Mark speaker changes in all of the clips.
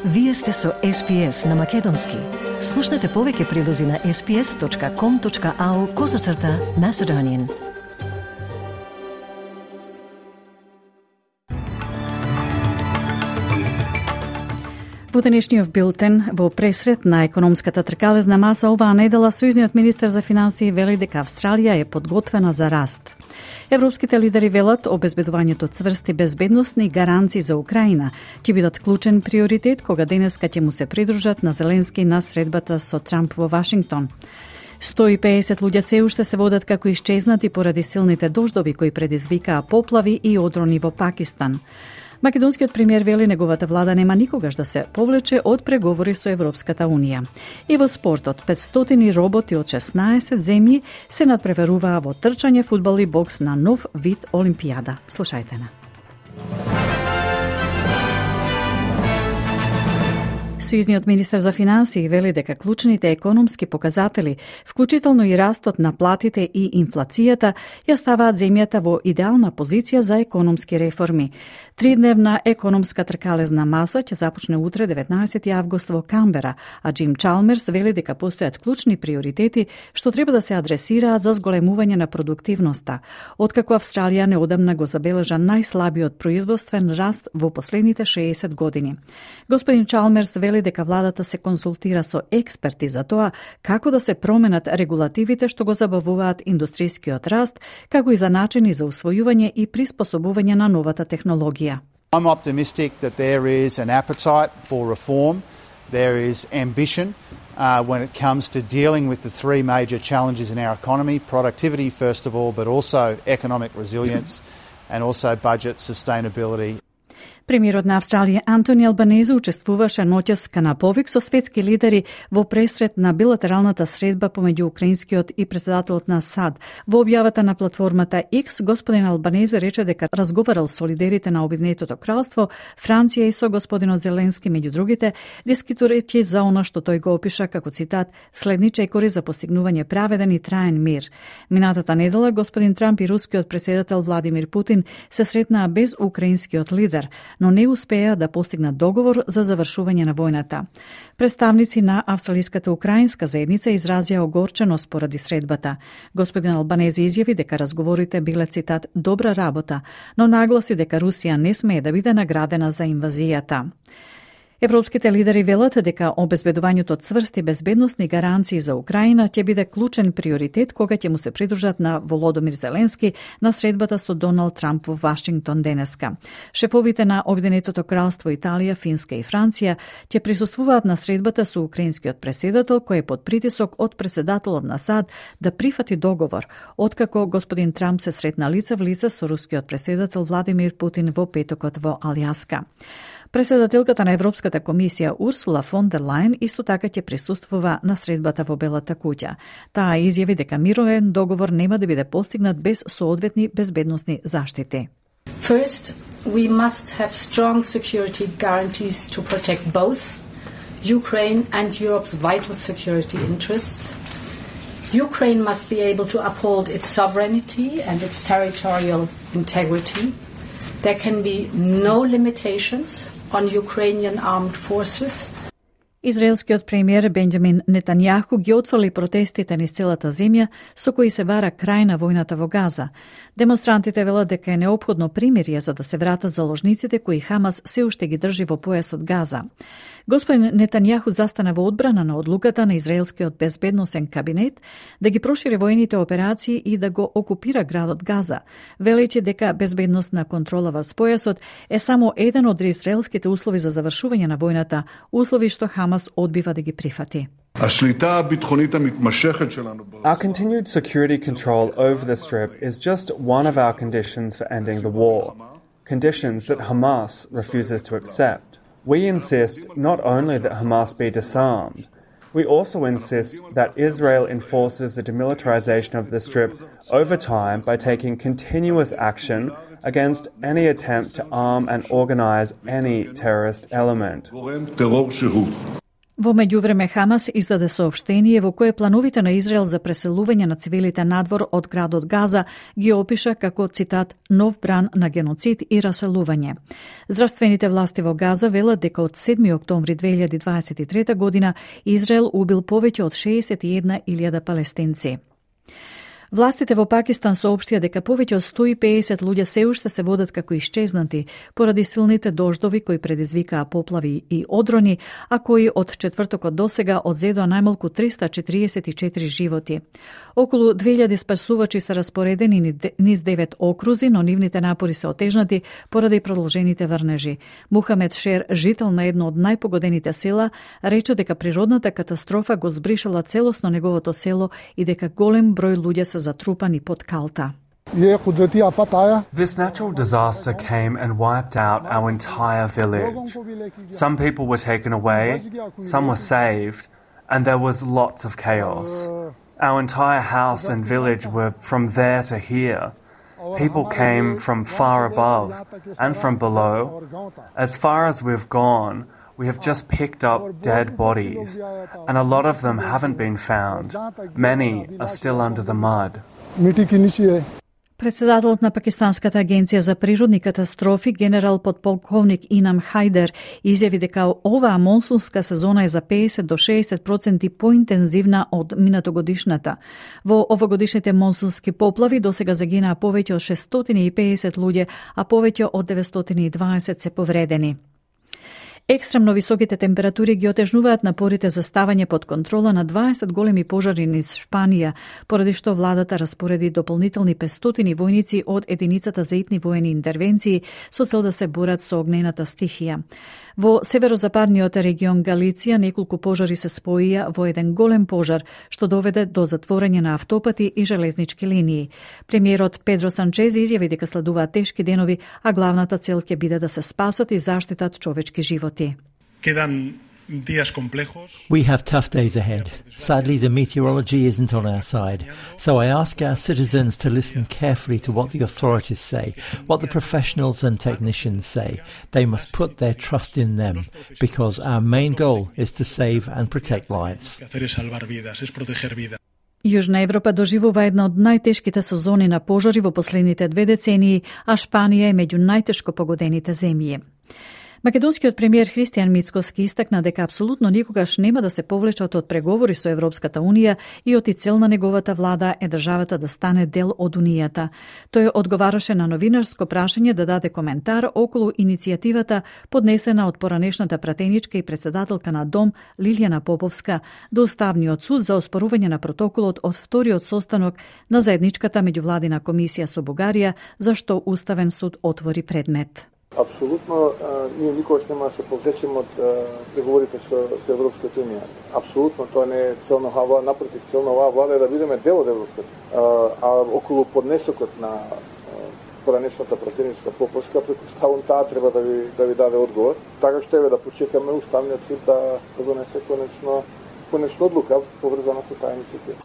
Speaker 1: Вие сте со SPS на Македонски. Слушнете повеќе прилози на sps.com.au/Macedonian.
Speaker 2: Во денешниот билтен, во пресред на економската тркалезна маса оваа недела, сојузниот министер за финансии вели дека Австралија е подготвена за раст. Европските лидери велат обезбедувањето цврсти безбедносни гаранции за Украина ќе бидат клучен приоритет кога денеска ќе му се придружат на Зеленски на средбата со Трамп во Вашингтон. 150 луѓе се уште се водат како исчезнати поради силните дождови кои предизвикаа поплави и одрони во Пакистан. Македонскиот премиер вели неговата влада нема никогаш да се повлече од преговори со Европската Унија. И во спортот, 500 роботи од 16 земји се надпреваруваа во трчање, фудбал и бокс на нов вид Олимпијада. Слушајте на. Сојузниот министер за финансии вели дека клучните економски показатели, вклучително и растот на платите и инфлацијата, ја ставаат земјата во идеална позиција за економски реформи. Тридневна економска тркалезна маса ќе започне утре 19 август во Камбера, а Джим Чалмерс вели дека постојат клучни приоритети што треба да се адресираат за зголемување на продуктивноста, откако Австралија неодамна го забележа најслабиот производствен раст во последните 60 години. Господин Чалмерс вели дека владата се консултира со експерти за тоа како да се променат регулативите што го забавуваат индустрискиот раст, како и за начини за усвојување и приспособување на новата технологија.
Speaker 3: I'm optimistic that there is an appetite for reform. There is ambition when it comes to dealing with the three major challenges in our economy: productivity, first of all, but also economic resilience and also budget sustainability.
Speaker 2: Премиерот на Австралија Антони Албанезе учествуваше ноќес на повик со светски лидери во пресред на билатералната средба помеѓу украинскиот и председателот на САД. Во објавата на платформата X, господин Албанезе рече дека разговарал со лидерите на Обединетото кралство, Франција и со господинот Зеленски меѓу другите, дискутирајќи за она што тој го опиша како цитат следни чекори за постигнување праведен и траен мир. Минатата недела господин Трамп и рускиот председател Владимир Путин се сретнаа без украинскиот лидер, но не успеа да постигнат договор за завршување на војната. Представници на австралиската украинска заедница изразија огорченост поради средбата. Господин Албанезе изјави дека разговорите биле цитат добра работа, но нагласи дека Русија не смее да биде наградена за инвазијата. Европските лидери велат дека обезбедувањето од цврсти безбедносни гаранции за Украина ќе биде клучен приоритет кога ќе му се придружат на Володомир Зеленски на средбата со Доналд Трамп во Вашингтон денеска. Шефовите на Обединетото кралство, Италија, Финска и Франција ќе присуствуваат на средбата со украинскиот преседател кој е под притисок од председателот на САД да прифати договор, откако господин Трамп се сретна лице в лице со рускиот преседател Владимир Путин во петокот во Алјаска. Председателката на Европската комисија Урсула фон дер Лајен исто така ќе присуствува на средбата во Белата куќа. Таа изјави дека мировен договор нема да биде постигнат без соодветни безбедносни заштити.
Speaker 4: First, we must have strong security guarantees to protect both Ukraine and Europe's vital security interests. Ukraine must be able to uphold its sovereignty and its territorial integrity. There can be no limitations on Ukrainian armed forces.
Speaker 2: Израелскиот премиер Бенџамин Нетањаху ги отфрли протестите низ целата земја со кои се бара крај на војната во Газа. Демонстрантите велат дека е неопходно примирие за да се вратат заложниците кои Хамас се уште ги држи во појасот Газа. Господин Нетањаху застана во одбрана на одлуката на израелскиот безбедносен кабинет да ги прошири војните операции и да го окупира градот Газа, велејќи дека безбедносна контрола врз појасот е само еден од израелските услови за завршување на војната, услови што Хамас одбива да ги прифати.
Speaker 5: Our continued security control over the Strip is just one of our conditions for ending the war, conditions that Hamas refuses to accept. We insist not only that Hamas be disarmed, we also insist that Israel enforces the demilitarization of the Strip over time by taking continuous action against any attempt to arm and organize any terrorist element.
Speaker 2: Во меѓувреме Хамас издаде соопштение во кое плановите на Израел за преселување на цивилите надвор од градот Газа ги опиша како, цитат, нов бран на геноцид и раселување. Здравствените власти во Газа велат дека од 7 октомври 2023 година Израел убил повеќе од 61.000 палестинци. Властите во Пакистан соопштија дека повеќе од 150 луѓе се уште се водат како исчезнати поради силните дождови кои предизвикаа поплави и одрони, а кои од четвртокот досега одзедоа најмалку 344 животи. Околу 2000 спасувачи се распоредени низ 9 окрузи, но нивните напори се отежнати поради продолжените врнежи. Мухамед Шер, жител на едно од најпогодените села, рече дека природната катастрофа го збришала целосно неговото село и дека голем број луѓе се затрупани под калта.
Speaker 5: This natural disaster came and wiped out our entire village. Some people were taken away, some were saved, and there was lots of chaos. Our entire house and village were from there to here. People came from far above and from below. As far as we've gone, we have just picked up dead bodies, and a lot of them haven't been found. Many are still under the mud.
Speaker 2: Председателот на Пакистанската агенција за природни катастрофи, генерал подполковник Инам Хайдер, изјави дека оваа монсунска сезона е за 50 до 60% поинтензивна од минатогодишната. Во овогодишните монсунски поплави досега загинаа повеќе од 650 луѓе, а повеќе од 920 се повредени. Екстремно високите температури ги отежнуваат напорите за ставање под контрола на 20 големи пожари низ Шпанија, поради што владата распореди дополнителни 500 војници од единицата за итни воени интервенции со цел да се борат со огнената стихија. Во северозападниот регион Галиција неколку пожари се споија во еден голем пожар, што доведе до затворање на автопати и железнички линии. Премиерот Педро Санчез изјави дека следуваат тешки денови, а главната цел ќе биде да се спасат и заштитат човечки животи.
Speaker 6: We have tough days ahead. Sadly, the meteorology isn't on our side. So I ask our citizens to listen carefully to what the authorities say, what the professionals and technicians say. They must put their trust in them, because our main goal is to save and protect lives.
Speaker 2: Јужна Европа доживува една од најтешките сезони на пожари во последните 2 децении, а Шпанија е меѓу најтешко погодените земји. Македонскиот премиер Христијан Мицкоски истакна дека апсолутно никогаш нема да се повлечат од преговори со Европската Унија и оти цел на неговата влада е државата да стане дел од Унијата. Тој одговараше на новинарско прашање да даде коментар околу иницијативата поднесена од поранешната пратеничка и председателка на Дом Лилјана Поповска до Уставниот суд за оспорување на протоколот од вториот состанок на заедничката меѓувладина комисија со Бугарија, за што Уставен суд отвори предмет.
Speaker 7: Апсолутно, ние никогаш нема да се повлечеме од преговорите со Европската Унија. Апсолутно, тоа не е цел на оваа влада, напротив, цел на оваа влада е да бидеме дел од Европската. А околу поднесокот на поранешната пратеничка Поповска, претпоставувам таа треба да ви даде одговор. Така што да почекаме Уставниот суд да донесе конечно одлука поврзана со таа иницијатива.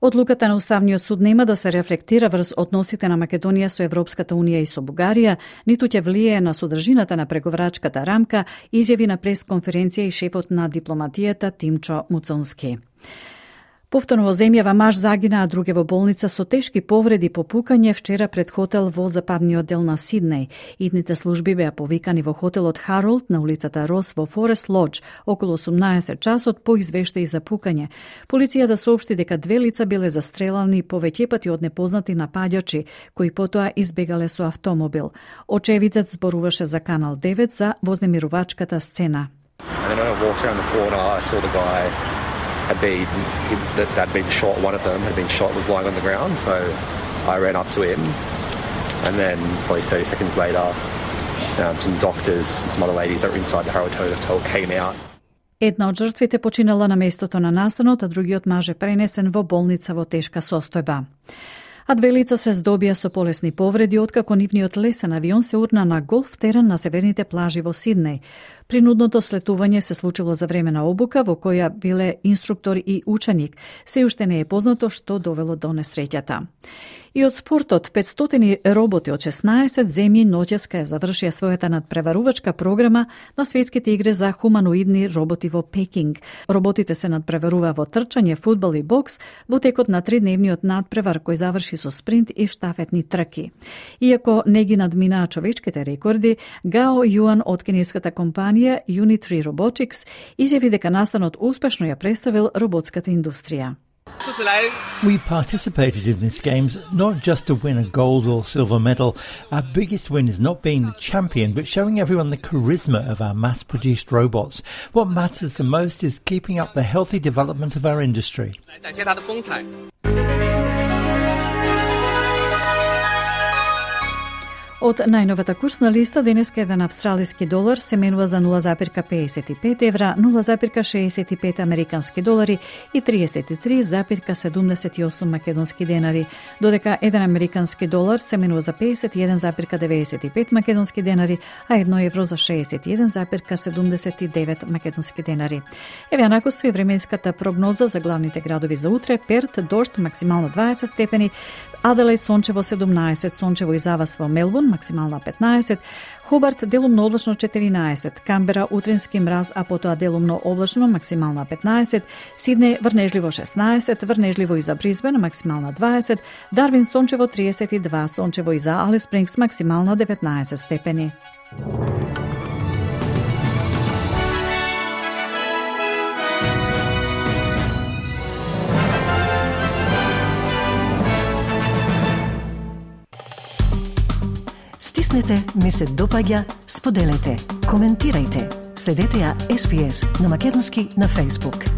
Speaker 2: Одлуката на Уставниот суд нема да се рефлектира врз односите на Македонија со Европската Унија и со Бугарија, ниту ќе влијае на содржината на преговарачката рамка, изјави на пресконференција и шефот на дипломатијата Тимчо Муцонски. Повторно во земјава маж загина, а друге во болница со тешки повреди по пукање вчера пред хотел во западниот дел на Сиднеј. Идните служби беа повикани во хотелот Харолд на улицата Рос во Форест Лодж околу 18 часот по извештаи за пукање. Полицијата соопшти дека 2 лица биле застрелани повеќе пати од непознати напаѓачи, кои потоа избегале со автомобил. Очевидцот зборуваше за Канал 9 за вознемирувачката сцена.
Speaker 8: Had been shot. One of them had been shot, was lying on the ground, so I ran up to him, and then probably 30 seconds later, some doctors and some other ladies that were inside the Harold Hotel came out.
Speaker 2: Една од жртвите починала на местото на настанот, а другиот маж е пренесен во болница во тешка состојба. А 2 лица се здобија со полесни повреди откако нивниот лесен авион се урна на голф терен на северните плажи во Сиднеј. Принудното слетување се случило за време на обука во која биле инструктор и ученик. Се уште не е познато што довело до несреќата. И од спортот, 500 роботи од 16 земји ноќеска завршија својата надпреварувачка програма на светските игри за хуманоидни роботи во Пекинг. Роботите се надпреварува во трчање, фудбал и бокс во текот на 3-дневниот надпревар кој заврши со спринт и штафетни трки. Иако не ги надминаа човечките рекорди, Гао Јуан од кинеската компанија Unitree Robotics изјави дека настанот успешно ја представил роботската индустрија.
Speaker 6: We participated in these games not just to win a gold or silver medal. Our biggest win is not being the champion, but showing everyone the charisma of our mass-produced robots. What matters the most is keeping up the healthy development of our industry.
Speaker 2: Од најновата курсна листа, денеска еден австралиски долар се менува за 0,55 евра, 0,65 американски долари и 33,78 македонски денари, додека еден американски долар се менува за 51,95 македонски денари, а 1 евро за 61,79 македонски денари. Еве анако со и временската прогноза за главните градови за утре: Перт дожд, максимално 20 степени, Аделаид сончево 17, сончево и завас во Мелбурн, максимална 15, Хобарт делумно облачно 14, Камбера утрински мраз, а потоа делумно облачно, максимална 15, Сиднеј врнежливо 16, врнежливо и за Брисбен, максимална 20, Дарвин сончево 32, сончево и за Алис Спрингс, максимална 19 степени.
Speaker 1: Стиснете, ми се допаѓа, споделете, коментирајте. Следете ја SPS на Македонски на Facebook.